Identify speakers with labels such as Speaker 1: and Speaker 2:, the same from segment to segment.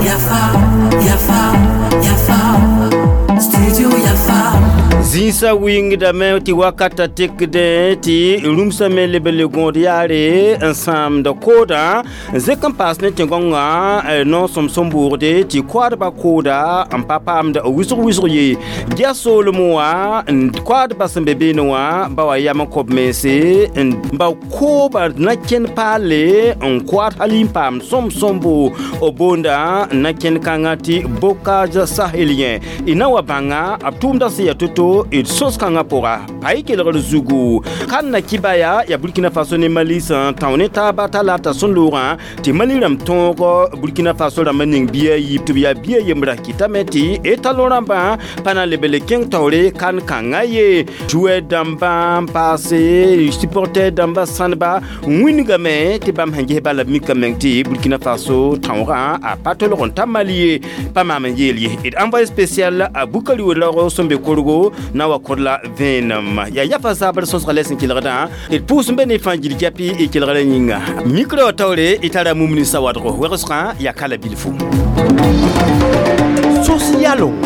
Speaker 1: Yafa, Yafa, Yafa, Studio Yafa.
Speaker 2: Zĩnsã wɩngdame tɩ wakata tekdẽ tɩ rũmsã me leb n le gõod yaare n sãamd koodã zẽk n paas ne tẽn-gãongã noosem sẽn boogde tɩ koadbã kooda n pa paamd wʋsg wʋsg ye gɛs soolem wã n koadbã sẽn be beene wã ba wa yam n kõb mense n ba kooba na kẽnd paalle n koad hal n paam sõm sõmbo b boonda na kẽnd kãngã tɩ bocage sahelien y na wa bãnga b tʋʋmdã sẽn yaa to-to d sõs kãngã pʋga pa y kelgr zugu kan na kibaya ya Burkina Faso ne Mali sẽn tão ne taaba t'a la t'a sẽn loogã tɩ Mali rãmb tõog Burkina Faso rãmb n ning bia yiib tɩ b yaa bia yembra kɩtame tɩ etalon rãmbã pa na leb le kẽng taoore kan kãngã ye joueur dãmbã n paase supporter dãmbã sãneba wĩngame tɩ bãmb sẽn ges bala b mikame meng tɩ Burkina Faso tãoogã a pa tolg n ta Mali ye pa maam n yeel ye d envoyé spécial a Bukari Ouedraogo sẽn be korgo na wa kod la vẽenem yaa yafa zabr sõsga la sẽn kelgdã d pʋʋs n be ne fãa gil japi y kelgra yĩnga micro taoore y tara mumni sawadgo wegsgã yaa kala bilfu sos yalongo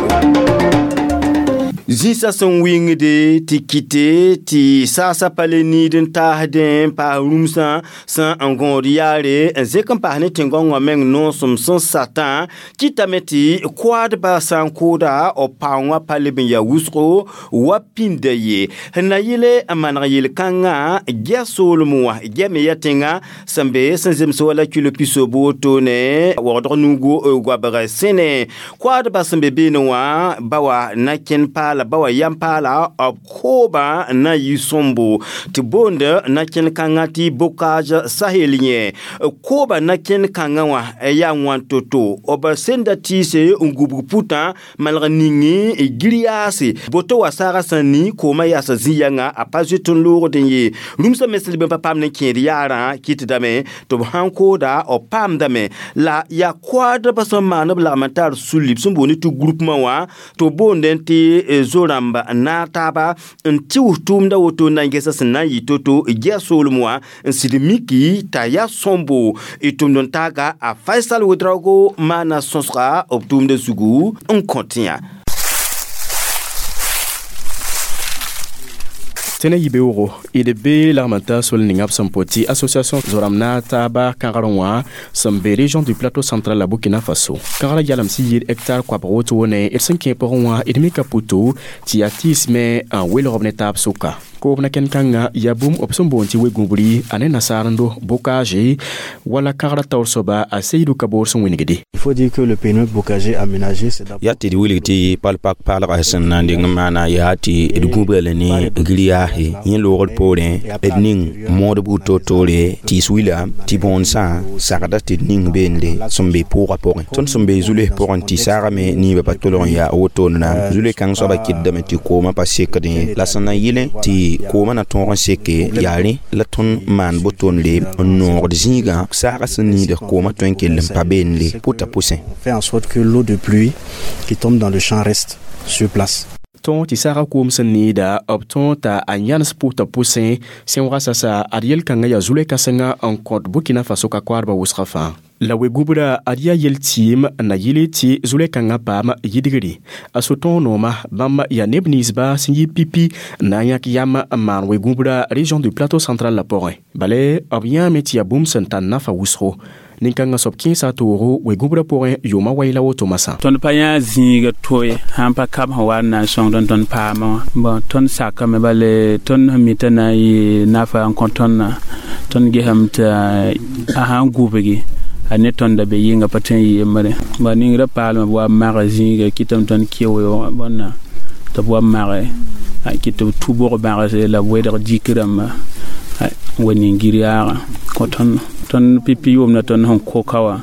Speaker 2: zĩnsã sẽn wɩngde tɩ kɩte tɩ saasã pa le niid n taasdẽ n paas rũmsã sẽn n gõod yaare n zẽk n paas ne tẽn-gãongã meng noosem sẽn satã kɩtame tɩ koadbã sã n kooda b paoongã pa leb n yaa wʋsgo wa pĩnda ye sẽn na yɩle n maneg yel-kãngã gɛs soolem wã gɛme ya tẽŋa sẽn be sẽn zems wala kilo pisob wotone waoodg nugu goabg sẽne koadbã sẽn be beene wã ba wa na kẽnd paala ba wa yam paala b koobã na yɩ sõmbo tɩ boond na kẽnd kãngã tɩ bocage sahelien kooba na kẽnd kãngã wã yaa wãn to-to b senda tɩɩse n gubg putã malg ningi gir-yaase boto wa saaga sẽn ni koomã yaasa zĩ-yãnga a pa zoet n loogdẽ ye rũmsã me sẽn leb n pa paam ne kẽed yaarã kɩtdame tɩ b sãn kooda b paamdame la yaa koadbã sẽn maan b lagm n tar sulli b sẽn boond tɩ groupement wã tɩ b boondẽ tɩ zo-rãmba n naag taaba n tɩʋs tʋʋmda woto n na n gesa sẽn na n yɩ to-to gɛs soolem wã n sɩd miki t'a yaa sõmbo y tʋmd n taaga a Faisal Ouedraogo maana sõsga b tʋʋmda zugu n kõ tẽ yã.
Speaker 3: Tẽna yibeoogo d be lagm n ta sol ninga b sẽn pʋ tɩ association zoramb na taaba kãgr wã sẽn be région du plateau central la Burkina Faso kãgrã yalem sẽn yɩɩd hectare koabg wotone d sẽn kẽ pʋgẽ wã d mika puto tɩ yaa tɩɩs me n welg b ne taab sʋka koob na kẽnd-kãngã yaa bũmb b sẽn boond tɩ we-gũbri a ne nasaarendo bocage wala kãgrã taoor soaba a Seydou Kaboor sẽn wĩnigde.
Speaker 4: Il faut dire que le périmètre bocager aménagé, c'est d'abord
Speaker 5: yaa tɩ d wilg tɩ pal-pak paalga sẽn na n deng n maana yaa tɩ d gũbga la ne gir-yaase yẽ loogr poorẽ d ning moodb to-toore tɩɩs wila tɩ bõonesã sagda tɩ d ning beende sẽn be pʋʋgã pʋgẽ tõnd sẽn be zules pʋgẽ tɩ saagame niibã pa tolg n yaa wotone zule kãng soaba kɩtdame tɩ koomã pa sekdẽ la sẽn na yɩlẽ tɩ koomã na tõog n seke yaa rẽ la tõnd maan botonre n noogd zĩigã saagã sẽn niid koomã tõe n kell n pa beende pʋta pʋsẽ.
Speaker 4: Fait en sorte que l'eau de pluie qui tombe dans le champ reste sur place.
Speaker 3: Tõog tɩ saagã koom sẽn needa b tõog t'a a yãnes pʋʋta pʋsẽ sẽn wa sasa ad yel-kãngã yaa zulɛ-kãsenga n kõt Burkina Faso ka koadbã wʋsgã fãa la we-gũbrã ad yaa yel-tɩɩm na yɩle tɩ zulɛ-kãngã paam yidgre a so-tõog nooma bãmb yaa neb ninsba sẽn yɩ pipi n na n yãk yam n maan we-gũbrã région du plateau central la pʋgẽ bala b yãame tɩ yaa bũmb sẽn tar nafa wʋsgo nin-kãngã soab kẽesa toogo we-gũbrã pʋgẽ yʋʋmã wai la woto masã.
Speaker 6: Tõnd pa yã zĩiga to ye sãn pa kab sẽn wa n na n sõngd n tõnd paamã wã bon tõnd sakame bale tõnd sẽn mi t'a na n yɩ nafa n kõ tõndã tõnd gesame tɩ a sãn gubgi a ne tõnda be yɩnga pa tõe n yɩ yembre ba ningrã paalme b wa mage zĩiga kɩtame tõnd keoog bõnna tɩ b wa mage kɩ tɩ b tu bog bãgse la b wedg dik rãmba n wa ning gir-yaagã kõ tõnd tõnd pipi yʋʋmda tõnd sẽn koka wã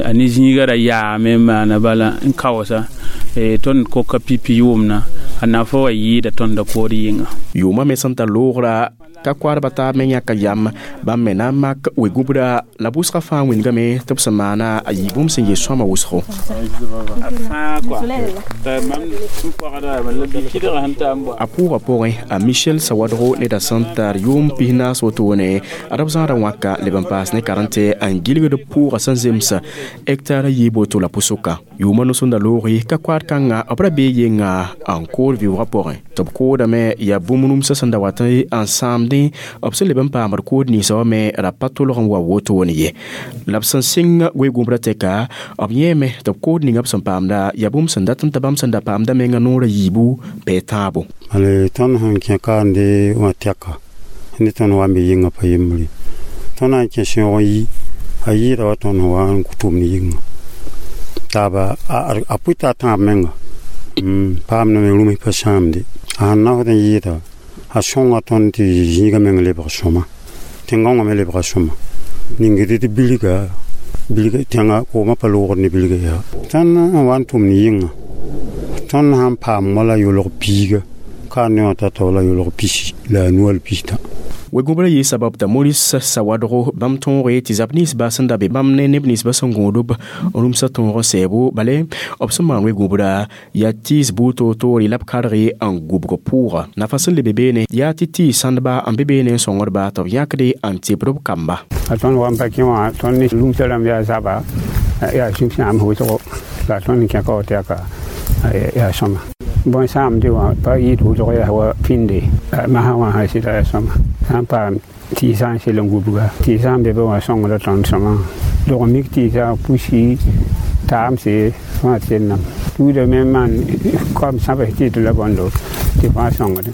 Speaker 6: a ne zĩiga ra yaame n maana bala n kaoosa tõnd koka pipi yʋʋmna a nafa wa yɩɩda tõnda kood yɩnga.
Speaker 3: Yʋʋmã me sẽn tar loogra Ka koadbã taab me yãka yam bãmb me na n mak we-gũbra la bʋsgã fãa wĩndgame tɩ b sẽn maana a yɩ bũmb sẽn yɩ sõama wʋsgo. A pʋʋgã pʋgẽ a Michel Sawadgo neda sẽn tar yʋʋm 14 wotone a d b zãada wãka leb n paas ne karẽnte n gilgd pʋʋgã sẽn zems hectare yiib woto la pʋsʋka. Yʋʋmã no-sõnda looge ka koad kãngã b ra bee yenga n kood vɩʋʋgã pʋgẽ tɩ b koodame yaa bũmb rũmsã sẽn da wat n sãamdẽ b sẽn leb n paamd kood ninsã wã me ra pa tʋlg n wa wotone ye. La b sẽn sɩng we-gũbrã tɛka b yẽeme tɩ b kood ninga b sẽn paamda yaa bũmb sẽn dat n ta bãmb sẽn da paamda menga noorã yiibu pɛ tãabo.
Speaker 4: Ale tõnd sẽn kẽ kaande wã tɛka ne tõnd wa n be yɩnga pa yembre tõnd na n kẽ sẽoog n yi a yɩɩda wa tõnd sẽn wa n tʋmd yɩnga taaba a pʋɩta a tãab menga paamdame rũms pa sãamde a sẽn nafd n yɩɩda a sõnga tõnd tɩ zĩigã meng lebg sõma tẽn-gãongã me lebga sõma ningd d bilga bilga tẽngã koomã pa loogd ne bilga yaa tõnd n wa n tʋmd yɩnga tõnd sãn paam wala yolg piiga ka ne wã tata wala yolg pisi la a nu wall pista.
Speaker 3: We-gũbrã yɩ sabab t'a Maurice Sawadgo bãmb tõoge tɩ zab ninsbã sẽn da be bãmb ne neb ninsbã sẽn gõod b rũmsã tõog n sɛɛbo bale b sẽn maan we-gũbrã yaa tɩɩs buud toor-toore la b karge n gũbg pʋʋga. Nafa sẽn lebe beene yaa tɩ tɩɩs sãndba n be beene n sõngdba tɩ b yãkde n tɩbd b kamba.
Speaker 7: A tõnd wa n pa kẽ wã tõnd ne rũmsã rãmb yaa zaba yaa sũ-sãam wʋsgo la tõnd kẽ ka wa tɛka yaa sõma. Bõn sãamde wã pa yɩɩd wʋsg yaa wa pĩnde masã wã sã sɩda yaa sõma. Sã n paam tɩɩsã n sel n gubga tɩɩsã n be be wã sõngda tõnd sõma dog mik tɩɩsã pusi taamse fãa tellame tuuda me maan kam sãbs tɩ d la bõndo tɩ fãa sõngd.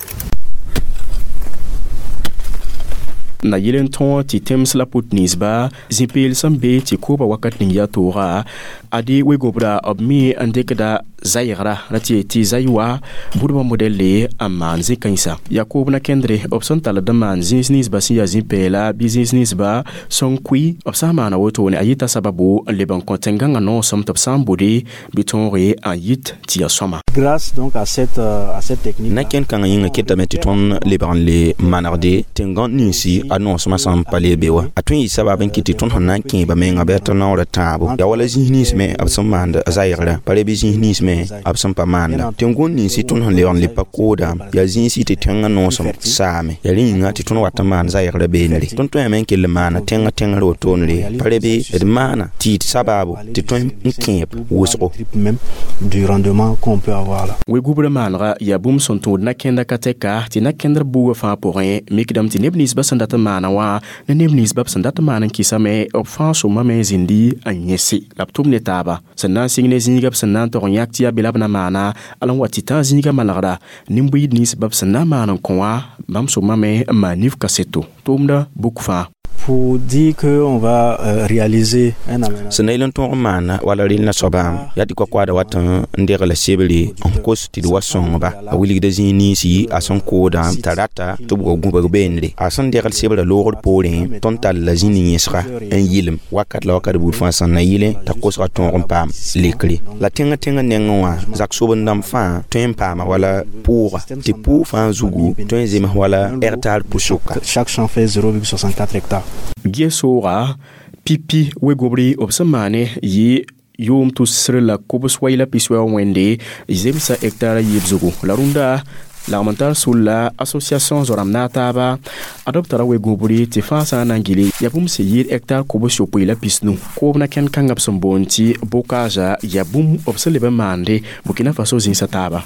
Speaker 3: Na yel n tõog tɩ tẽms la put ninsba zĩ-peel sẽn be tɩ kooba wakat ning yaa tooga ade we-gũbrã b mi n dɩkda zaygra ra tɩ tɩ zay wa budbã modɛlle n maan zĩ-kãensa. Yaa koob na kẽndre b sẽn tall n maan zĩis ninsba sẽn yaa zĩ-pɛɛla bɩ zĩis ninsba sẽn kʋɩ b sã n maana wotone a yɩta sababu n leb n kõ tẽn-gãngã noosem tɩ b sã n bode bɩ tõoge n yit tɩ yaa sõma.
Speaker 4: Grâce donc à cette technique.
Speaker 5: Na kẽn kãngã yĩngã ketame tɩ tõnd lebg n le manegde tẽn-gãnd ninsi a noosmã sẽn pa le be wa. A tõe n yɩ sabab n kɩt tɩ tõnd sẽn na n kẽeba menga bɩ a tɩ naoora tãabo. Yaa wala zĩis nins me b sẽn maand zaygrã pa re bɩ zĩis nins me b sẽn pa maanda. Tẽn-gõnd ninsi tõnd sẽn lebg n le pa kooda yaa zĩisi tɩ tẽngã noosem saame. Yaa rẽ yĩnga tɩ tõnd wat n maan zaygrã beenre. Tõnd tõeme n kell n maana tẽngã tẽngr wotoonre pa re bɩ d maana tɩ yɩ sabaabo tɩ tõe n kẽeb wʋsgo.
Speaker 4: Même du rendement qu'on peut avoir là.
Speaker 3: We-gũbrã maanega yaa bũmb sẽn tũud na-kẽnda ka tɛka tɩ na-kẽndr buugã fãa pʋgẽ mikdame tɩ neb ninsbã sẽn dat n maana wã ne neb ninsbã b sẽn dat n maan n kɩsame b fãa sõmame zĩndi n yẽse la b tʋm ne taaba sẽn na n sɩng ne zĩiga b sẽn na n tog n yãk tɩ yaa be la b na maana ala n wa tɩ tã zĩigã manegra nin-buiid ninsbã b sẽn na n maan n kõ wã bãmb sõmame n maan nif kaseto tʋʋmda buk fãa.
Speaker 4: Pour dire qu'on va réaliser un aménagement.
Speaker 5: Sẽn na yel n tõog n maana wala rel na soaba yaa tɩ koa-koaada wat n degla sebre n kos tɩ d wa sõngba a wilgda zĩig ninsi a sẽn koodã t'a rata tɩ b wa gũbg beenre a sẽn degl sebrã loogr poorẽ tõnd tall la zĩ nin-yẽsga n yɩlem wakat la wakat buud fãa sẽn na yɩlẽ t'a kosgã tõog n paam lekre la tẽngã tẽngã nengẽ wã zak soben-dãmb fãa tõe n paama wala pʋʋga tɩ pʋʋg fãa zugu tõe n zems wala hectare pʋsʋka.
Speaker 4: Chaque champ fait 0,64 hectares.
Speaker 3: Ges-sooga pipi we-gũbri b sẽn maane yɩ yʋʋm tusr la kobs wai la piswɛoog wẽnde zemsa hectare yiib zugu la rũndã lagm n tar sulla association zoram na taaba a d b tara we-gũbri tɩ fãa sã n na n gili yaa bũmb sẽn yɩɩd hectare kobs yopoe la pisnu koob na kẽnd kãngã b sẽn boond tɩ bocage yaa bũmb b sẽn leb n maande Burkina Faso zĩnsã taaba.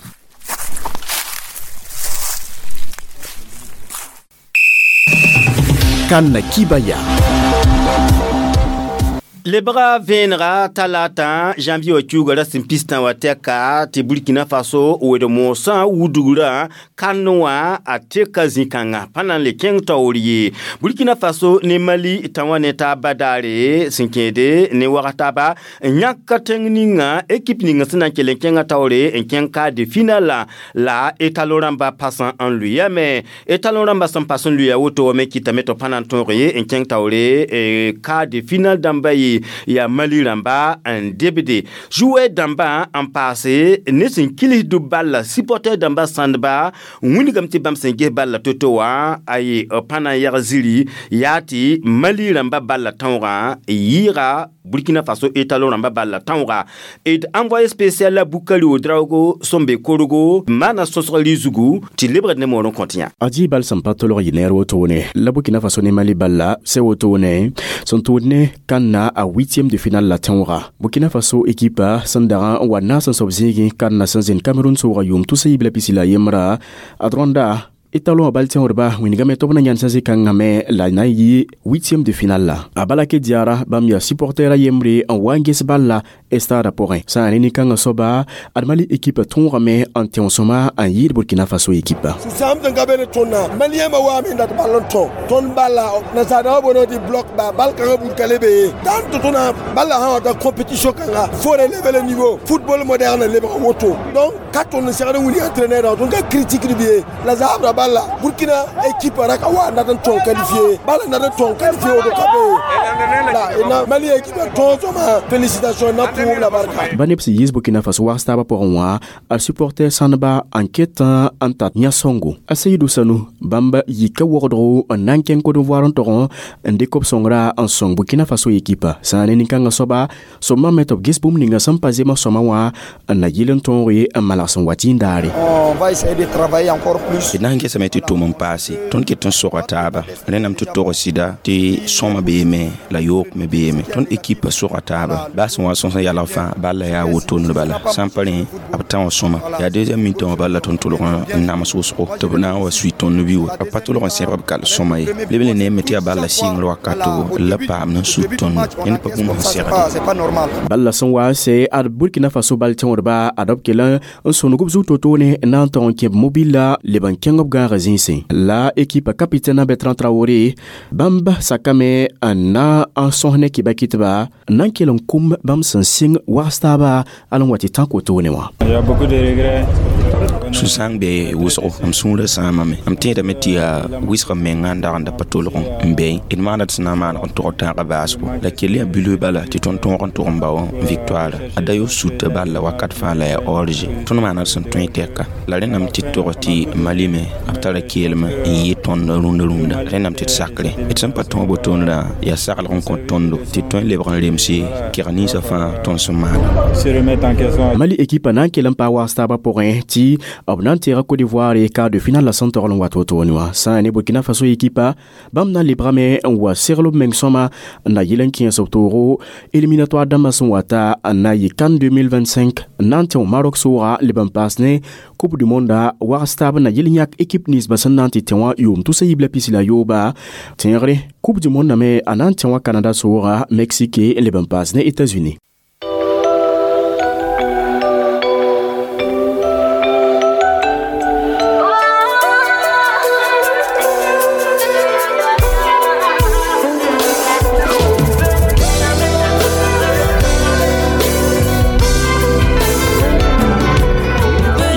Speaker 1: Kan Kibaya.
Speaker 2: Lebga vẽenega talata janvier wa kiuga ra sẽn pistã wa tɛka tɩ Burkina Faso wed moosã wudgrã kand wã a teka zĩ-kãnga pa na n le kẽng taoor ye. Burkina Faso ne Mali tã wã ne taab badaare sẽn kẽede ne wag taaba n yãk tẽng ninga ekip ninga sẽn na n kell n kẽngã taoore n kẽng quart de finale la étalon rãmba pasã n lʋyame. Étalon rãmba sẽn pas n lʋya woto me kɩtame tɩ b pa na n tõog ye n kẽng taoore quart de finale dãmba ye. tɩ yaa Mali rãmba n debde joueur dãmbã n paase ne sẽn kilsd balla supporter dãmba sãndba n wilgame tɩ bãmb sẽn ges balla to-to wã aye pa na n yag ziri yaa tɩ Mali rãmba balla tõogã yɩɩga Burkina Faso étalon rãmba balla tõoga d envoyé spécial la Bukari Ouedraogo sẽn be Korhogo maana sõsg rɩ-zugu tɩ lebgd ne moor n kõt yã.
Speaker 3: Adi bal sẽn pa tolg yɩ neer wotone la Burkina Faso ne Mali balla sɛ wotone sẽn tʋʋd ne kãnna a huitième de finale la tẽoogã. Burkina Faso ekipa sẽn dag n wa naas n soab zĩigẽ kãnna sẽn zẽnd Cameroun soogã yʋʋm tʋsa yiib la pisi la yembra ad rõnda étalon bal tẽodba wĩnigame tɩ b na yãnd sã zĩ-kãngã me la na n yɩ huitième de finale la a bala ke diara bãmb yaa supporter a yembre n wa n ges balla stade pʋgẽ sã n ne nin-kãngã soaba ad Mali équipe tõogame n tẽo sõma n yɩɩd Burkina Faso équipe.
Speaker 8: Sãam sẽn ka be ne tõndã maliyãmã waame n dat ball n tõ tõnd balla nasaadãmã boonã tɩ bloc ba bal kãngã bud ka le be ye dãn tɩ tõna balla sã wa ta compétition kãnga faut relever le niveau football moderne lebg woto donc ka tõnd n segd n wilg entraîneur tõnd ka critique b ye la zaabra balla Burkina équipe raka wa ndat n tõng qualifié balla ndat n tõng qualifié woto ka be la na Mali équipe tõog sõma félicitation na pʋʋb la barka.
Speaker 3: Ba neb sẽn yiis Burkina Faso wags taabã pʋgẽ wã a supporter sãndba n ket n tat yã-sõngo. A Seydou Sanou bãmb yika wogdgo n na n kẽng Côte d'Ivoire n tog n dɩk b sõngra n sõng Burkina Faso ekipa sã n ne nin-kãngã soaba sõma me tɩ b ges bũmb ninga sẽn pa zemg sõma wã n na yɩl n tõog n malg sẽn wa tĩndaare.
Speaker 9: On va essayer de travailler encore plus.
Speaker 5: D na n gesame tɩ tʋm n paase tõnd ket n soga taaba rẽndame tɩ tog sɩda tɩ sõma beeme la yoog me beeme tõnd ekipa soga taaba baa sẽn wa sõs n yalg fãa balla yaa wotond bala sã n pa rẽ b tã wã sõma yaa deuxième mi-temps wã balla tõnd tʋlg n nams wʋsgo tɩ b na n wa sui tõnd bi wa b pa tʋlg n sẽbg b kal sõma ye leb le neeme tɩ yaa balla sɩngr wakato la paam n sud tõnd ned pa bũmb sẽn segde.
Speaker 3: Balla sẽn wa n sɛ ad Burkina Faso bal tẽodba ad b kell n sõneg b zug to-toone na n tog n kẽb mobila leb n kẽng b gãagã zĩisẽ la ekipa capitaine Bertrand Traoré bãmb sakame n na n sõs ne kɩba kɩtba n na n kell n kũm bãmb sẽn sɩng wags taaba al n wa tɩ tã kotoone wã.
Speaker 5: Sũ-sãang be wʋsgo m sũurã sãamame m tẽedame tɩ yaa wɩsg mengã n dag n da pa tolg n bee d maana tɩ sẽn na n maaneg n tog tãagã baasgo la kell yaa bilf bala tɩ tõnd tõog n tʋg n bao victoire a da yo suta balla wakat fãa la yaa orge tõnd maana d sẽn tõe tɛka la rẽndame tɩ d tog tɩ Mali me b tara keelme n yɩ tõnd rũndã rũndã rẽndame tɩ d sakre d sẽn pa tõog botoonrã yaa saglg n kõ tõndo tɩ tõe n lebg n remse keg ninsã fãa tõnd sẽn maana.
Speaker 3: Mali ekipa na n kell n paa wags taabã pʋgẽ tɩ b na n teega Côte d'Ivoire quart de finale la sẽn togl n wat wotone wã sã n ne Burkina Faso ekipa bãmb na n lebgame n wa segl b meng sõma n na yɩl n kẽes b toogo éliminatoire dãmbã sẽn wata n na yɩ CAN 2025 n na n tẽo Maroc sooga leb n paas ne Coupe du monde wags taab n na yɩl n yãk équipe ninsbã sẽn na n tɩ tẽ wã yʋʋm tʋsa yiib la pisi la yooba tẽegre Coupe du monde me a na n tẽ wã Canada sooga Mexique leb n paas ne États-Unis.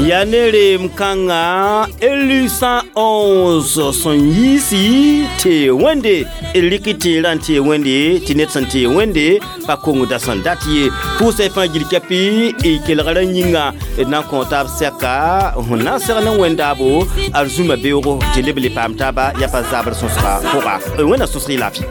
Speaker 2: Yaa nere m kãnga élu 111 sẽn yiisi tɩ wẽnde d rɩk tẽerã n tee wẽnde tɩ ned sẽn tee wẽnde pa kongda sẽn dat ye pʋʋsã fãa gil-kɛpɩ y kelgrã yĩnga d na n kõ taab sɛka sẽn na n seg ne wẽndaabo ad zũma beoogo tɩ leb le paam taaba yaa pa zabr sõsga pʋga wẽnna sõsg y laafɩ.